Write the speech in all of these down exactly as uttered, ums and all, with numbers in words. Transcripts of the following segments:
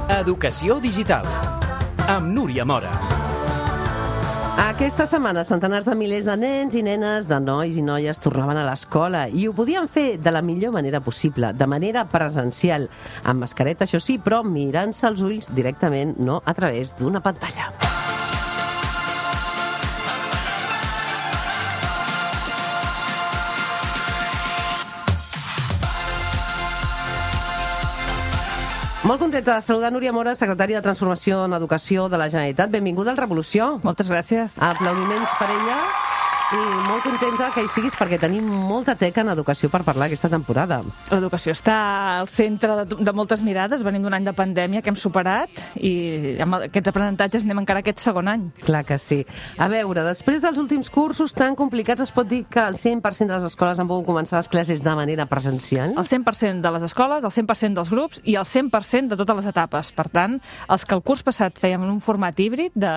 Educació digital, amb Núria Mora. Aquesta setmana, centenars de milers de nens i nenes, de nois i noies tornaven a l'escola i ho podien fer de la millor manera possible, de manera presencial, amb mascareta, això sí, però mirant-se als ulls directament, no a través d'una pantalla. Molt contenta de saludar Núria Mora, secretària de Transformació en Educació de la Generalitat. Benvinguda al Revolució. Moltes gràcies. Aplaudiments per ella i molt contenta que hi siguis perquè tenim molta teca en educació per parlar aquesta temporada. L'educació està al centre de, de moltes mirades. Venim d'un any de pandèmia que hem superat i amb aquests aprenentatges anem encara aquest segon any. Clar que sí. A veure, després dels últims cursos tan complicats, es pot dir que el cent per cent de les escoles han pogut començar les classes de manera presencial? El cent per cent de les escoles, el cent per cent dels grups i el cent per cent de totes les etapes. Per tant, els que el curs passat fèiem en un format híbrid, de,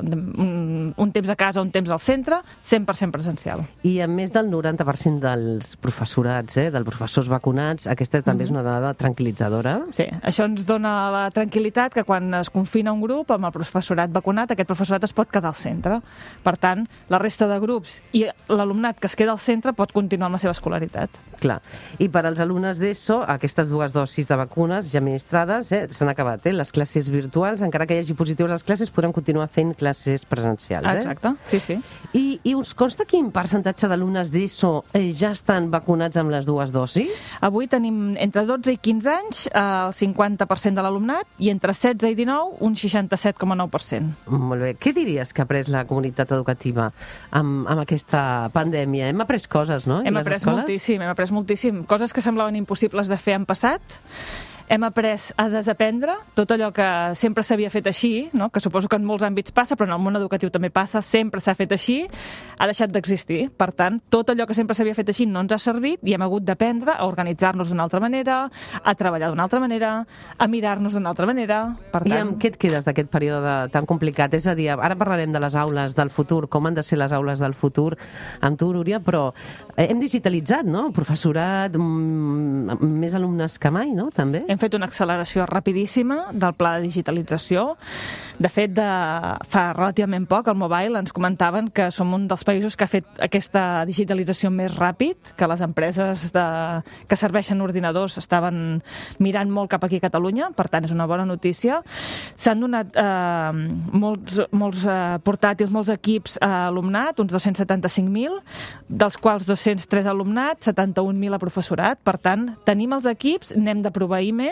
de un, un temps a casa, un temps al centre, cent per cent presencial. I amb més del noranta per cent dels professorats, eh, dels professors vacunats, aquesta també mm-hmm. és una dada tranquil·litzadora. Sí, això ens dona la tranquil·litat que quan es confina un grup amb el professorat vacunat, aquest professorat es pot quedar al centre. Per tant, la resta de grups i l'alumnat que es queda al centre pot continuar amb la seva escolaritat. Clar. I per als alumnes d'ESO, aquestes dues dosis de vacunes ja administrades eh, s'han acabat. Eh? Les classes virtuals, encara que hi hagi positius a les classes, podran continuar fent classes presencials. Eh? Exacte, sí, sí. I, i us consta quin percentatge d'alumnes d'ESO eh, ja estan vacunats amb les dues dosis? Avui tenim entre dotze i quinze anys eh, el cinquanta per cent de l'alumnat i entre setze i dinou un seixanta-set coma nou per cent. Molt bé. Què diries que ha après la comunitat educativa amb, amb aquesta pandèmia? Hem après coses, no? Hem après moltíssim, hem après moltíssim. Coses que semblaven impossibles de fer en passat. Hem après a desaprendre tot allò que sempre s'havia fet així, no? Que suposo que en molts àmbits passa, però en el món educatiu també passa, sempre s'ha fet així, ha deixat d'existir. Per tant, tot allò que sempre s'havia fet així no ens ha servit i hem hagut d'aprendre a organitzar-nos d'una altra manera, a treballar d'una altra manera, a mirar-nos d'una altra manera. Per tant... I amb què et quedes d'aquest període tan complicat? És a dir, ara parlarem de les aules del futur, com han de ser les aules del futur amb tu, Núria, però hem digitalitzat, no? El professorat, més alumnes que mai, no? També. Hem fet una acceleració rapidíssima del pla de digitalització. De fet, de, fa relativament poc, al Mobile ens comentaven que som un dels països que ha fet aquesta digitalització més ràpid, que les empreses de, que serveixen ordinadors estaven mirant molt cap aquí a Catalunya, per tant és una bona notícia. S'han donat eh, molts, molts eh, portàtils, molts equips a alumnat, uns dos-cents setanta-cinc mil, dels quals dos-cents tres alumnat, setanta-un mil a professorat. Per tant, tenim els equips, n'hem de proveir més,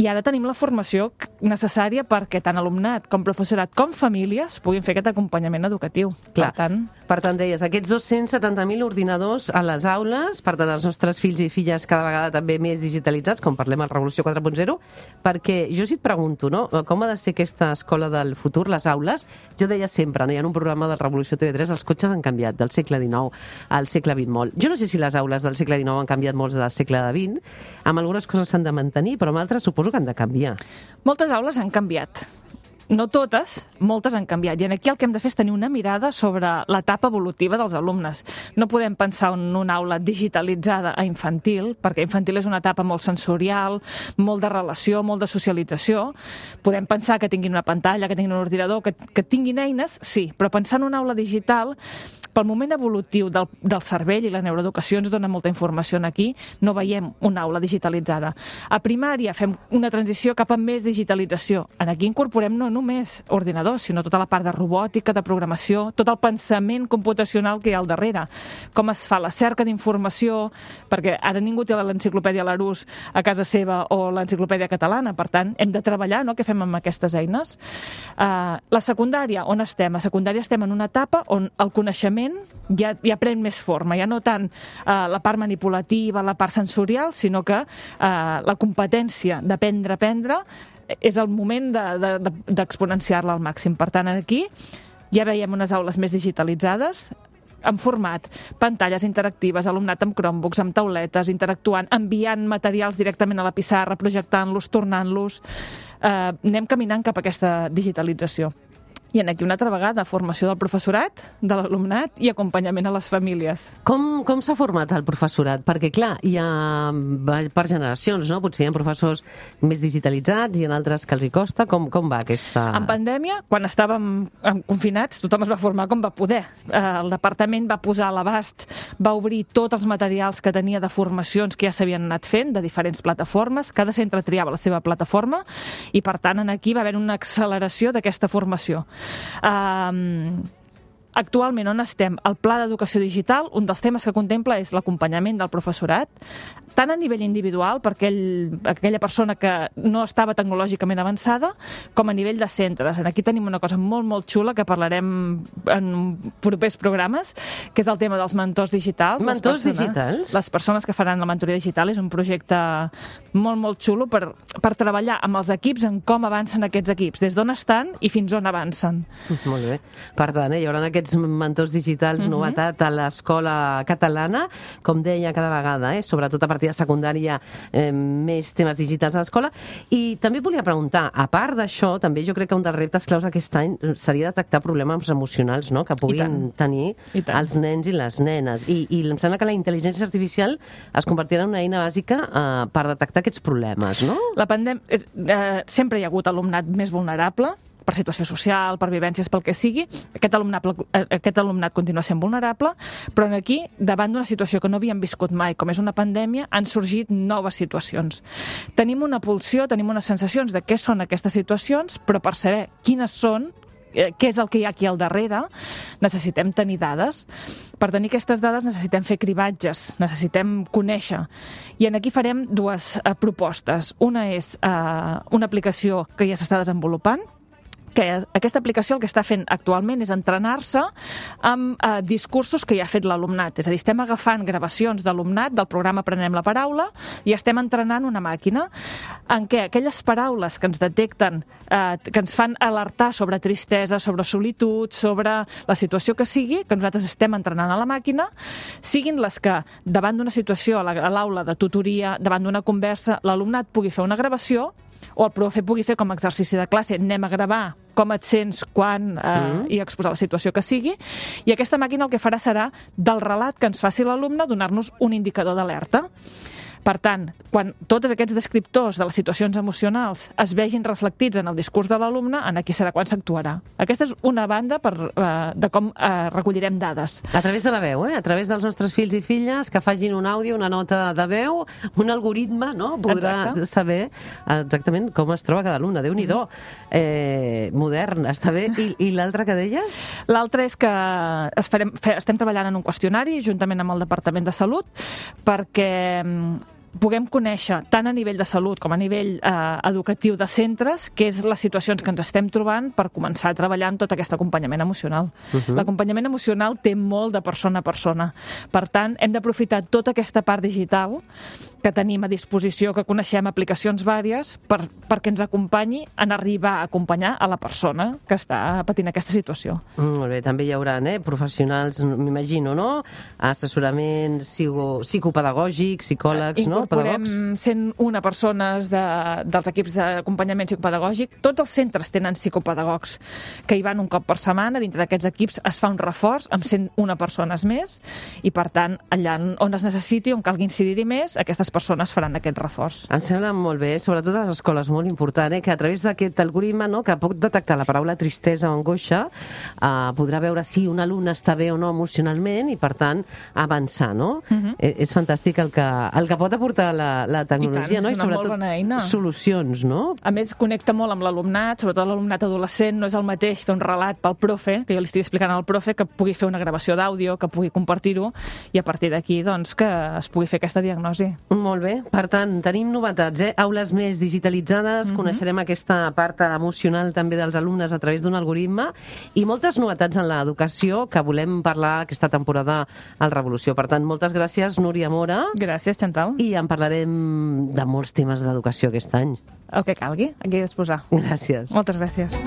i ara tenim la formació necessària perquè tant alumnat com professorat com famílies puguin fer aquest acompanyament educatiu. Clar. Per tant... Per tant, deies, aquests dos-cents setanta mil ordinadors a les aules, per tant, els nostres fills i filles cada vegada també més digitalitzats, com parlem al Revolució quatre punt zero, perquè jo si et pregunto, no?, com ha de ser aquesta escola del futur, les aules, jo deia sempre, no?, hi ha un programa del Revolució T V tres, els cotxes han canviat del segle dinou al segle vint molt. Jo no sé si les aules del segle dinou han canviat molts del segle vint, amb algunes coses s'han de mantenir, però amb altres suposo que han de canviar. Moltes aules han canviat. No totes, moltes han canviat. I aquí el que hem de fer és tenir una mirada sobre l'etapa evolutiva dels alumnes. No podem pensar en una aula digitalitzada a infantil, perquè infantil és una etapa molt sensorial, molt de relació, molt de socialització. Podem pensar que tinguin una pantalla, que tinguin un ordinador, que, que tinguin eines, sí, però pensar en una aula digital, pel moment evolutiu del, del cervell i la neuroeducació ens dona molta informació aquí, no veiem una aula digitalitzada. A primària fem una transició cap a més digitalització. Aquí incorporem no només ordinadors, sinó tota la part de robòtica, de programació, tot el pensament computacional que hi ha al darrere. Com es fa la cerca d'informació, perquè ara ningú té l'enciclopèdia Larousse a casa seva o l'enciclopèdia catalana, per tant, hem de treballar, no?, què fem amb aquestes eines. Uh, la secundària, on estem? A secundària estem en una etapa on el coneixement ja, ja pren més forma, ja no tant uh, la part manipulativa, la part sensorial, sinó que uh, la competència d'aprendre a aprendre és el moment d'exponenciar-la de, de, al màxim. Per tant, aquí ja veiem unes aules més digitalitzades, en format, pantalles interactives, alumnat amb Chromebooks, amb tauletes, interactuant, enviant materials directament a la pissarra, projectant-los, tornant-los. Eh, anem caminant cap a aquesta digitalització. I en aquí una altra vegada, formació del professorat, de l'alumnat i acompanyament a les famílies. Com, com s'ha format el professorat? Perquè, clar, hi ha per generacions, no? Potser hi ha professors més digitalitzats i en altres que els hi costa. Com, com va aquesta... En pandèmia, quan estàvem confinats, tothom es va formar com va poder. El departament va posar a l'abast, va obrir tots els materials que tenia de formacions que ja s'havien anat fent, de diferents plataformes. Cada centre triava la seva plataforma i, per tant, en aquí va haver una acceleració d'aquesta formació. Um, actualment on estem? El Pla d'Educació Digital, un dels temes que contempla és l'acompanyament del professorat, tant a nivell individual per aquell, aquella persona que no estava tecnològicament avançada, com a nivell de centres. Aquí tenim una cosa molt, molt xula que parlarem en propers programes, que és el tema dels mentors digitals. Mentors les persones, digitals? Les persones que faran la mentoria digital és un projecte molt, molt xulo per, per treballar amb els equips en com avancen aquests equips, des d'on estan i fins on avancen. Molt bé. Per tant, eh, hi haurà aquests mentors digitals, uh-huh. novetat a l'escola catalana, com deia cada vegada, eh, sobretot a partir de secundària, eh, més temes digitals a l'escola. I també volia preguntar, a part d'això, també jo crec que un dels reptes claus aquest any seria detectar problemes emocionals, no?, que puguin tenir els nens i les nenes. I, i em sembla que la intel·ligència artificial es convertirà en una eina bàsica eh, per detectar aquests problemes, no? La pandèmia... Eh, sempre hi ha hagut alumnat més vulnerable, per situació social, per vivències, pel que sigui. Aquest alumnat, aquest alumnat continua sent vulnerable, però aquí, davant d'una situació que no havíem viscut mai, com és una pandèmia, han sorgit noves situacions. Tenim una pulsió, tenim unes sensacions de què són aquestes situacions, però per saber quines són, què és el que hi ha aquí al darrere, necessitem tenir dades. Per tenir aquestes dades necessitem fer cribatges, necessitem conèixer. I en aquí farem dues eh, propostes. Una és eh, una aplicació que ja s'està desenvolupant, que aquesta aplicació el que està fent actualment és entrenar-se amb eh, discursos que ja ha fet l'alumnat. És a dir, estem agafant gravacions d'alumnat del programa Aprenem la Paraula i estem entrenant una màquina en què aquelles paraules que ens detecten, eh, que ens fan alertar sobre tristesa, sobre solitud, sobre la situació que sigui, que nosaltres estem entrenant a la màquina, siguin les que, davant d'una situació a l'aula de tutoria, davant d'una conversa, l'alumnat pugui fer una gravació o el profe pugui fer com a exercici de classe, anem a gravar com et sents, quan, eh, mm. i exposar la situació que sigui, i aquesta màquina el que farà serà, del relat que ens faci l'alumne, donar-nos un indicador d'alerta. Per tant, quan tots aquests descriptors de les situacions emocionals es vegin reflectits en el discurs de l'alumne, en aquí serà quan s'actuarà. Aquesta és una banda per, eh, de com eh, recollirem dades. A través de la veu, eh? A través dels nostres fills i filles que facin un àudio, una nota de veu, un algoritme, no?, podrà Exacte. saber exactament com es troba cada alumne. Déu-n'hi-do, eh, modern, està bé. I, i l'altre que deies? L'altre és que es farem, fe, estem treballant en un qüestionari juntament amb el Departament de Salut perquè puguem conèixer tant a nivell de salut com a nivell eh, educatiu de centres què és les situacions que ens estem trobant per començar a treballar en tot aquest acompanyament emocional. Uh-huh. L'acompanyament emocional té molt de persona a persona. Per tant, hem d'aprofitar tota aquesta part digital que tenim a disposició, que coneixem aplicacions vàries, per, perquè ens acompanyi en arribar a acompanyar a la persona que està patint aquesta situació. Mm, molt bé, també hi haurà eh, professionals, m'imagino, no? Assessoraments psico, psicopedagògics, psicòlegs, no? Incorporem cent una persones de, dels equips d'acompanyament psicopedagògic. Tots els centres tenen psicopedagogs que hi van un cop per setmana. Dintre d'aquests equips es fa un reforç amb cent una persones més i, per tant, allà on es necessiti, on calgui incidir-hi més, aquestes persones faran aquest reforç. Em sembla molt bé, sobretot a les escoles, molt important, eh, que a través d'aquest algoritme, no, que pot detectar la paraula tristesa o angoixa, eh, podrà veure si un alumne està bé o no emocionalment i, per tant, avançar, no? Uh-huh. eh, és fantàstic el que, el que pot aportar la, la tecnologia, I tant, no? és una I molt bona eina. Solucions, no? A més, connecta molt amb l'alumnat, sobretot l'alumnat adolescent, no és el mateix fer un relat pel profe, que jo li estic explicant al profe, que pugui fer una gravació d'àudio, que pugui compartir-ho, i a partir d'aquí, doncs, que es pugui fer aquesta diagnosi. Molt bé. Per tant, tenim novetats, eh? Aules més digitalitzades, mm-hmm. coneixerem aquesta part emocional també dels alumnes a través d'un algoritme i moltes novetats en l'educació que volem parlar aquesta temporada al Revolució. Per tant, moltes gràcies, Núria Mora. Gràcies, Chantal. I en parlarem de molts temes d'educació aquest any. El que calgui, aquí a disposar. Gràcies. Moltes gràcies.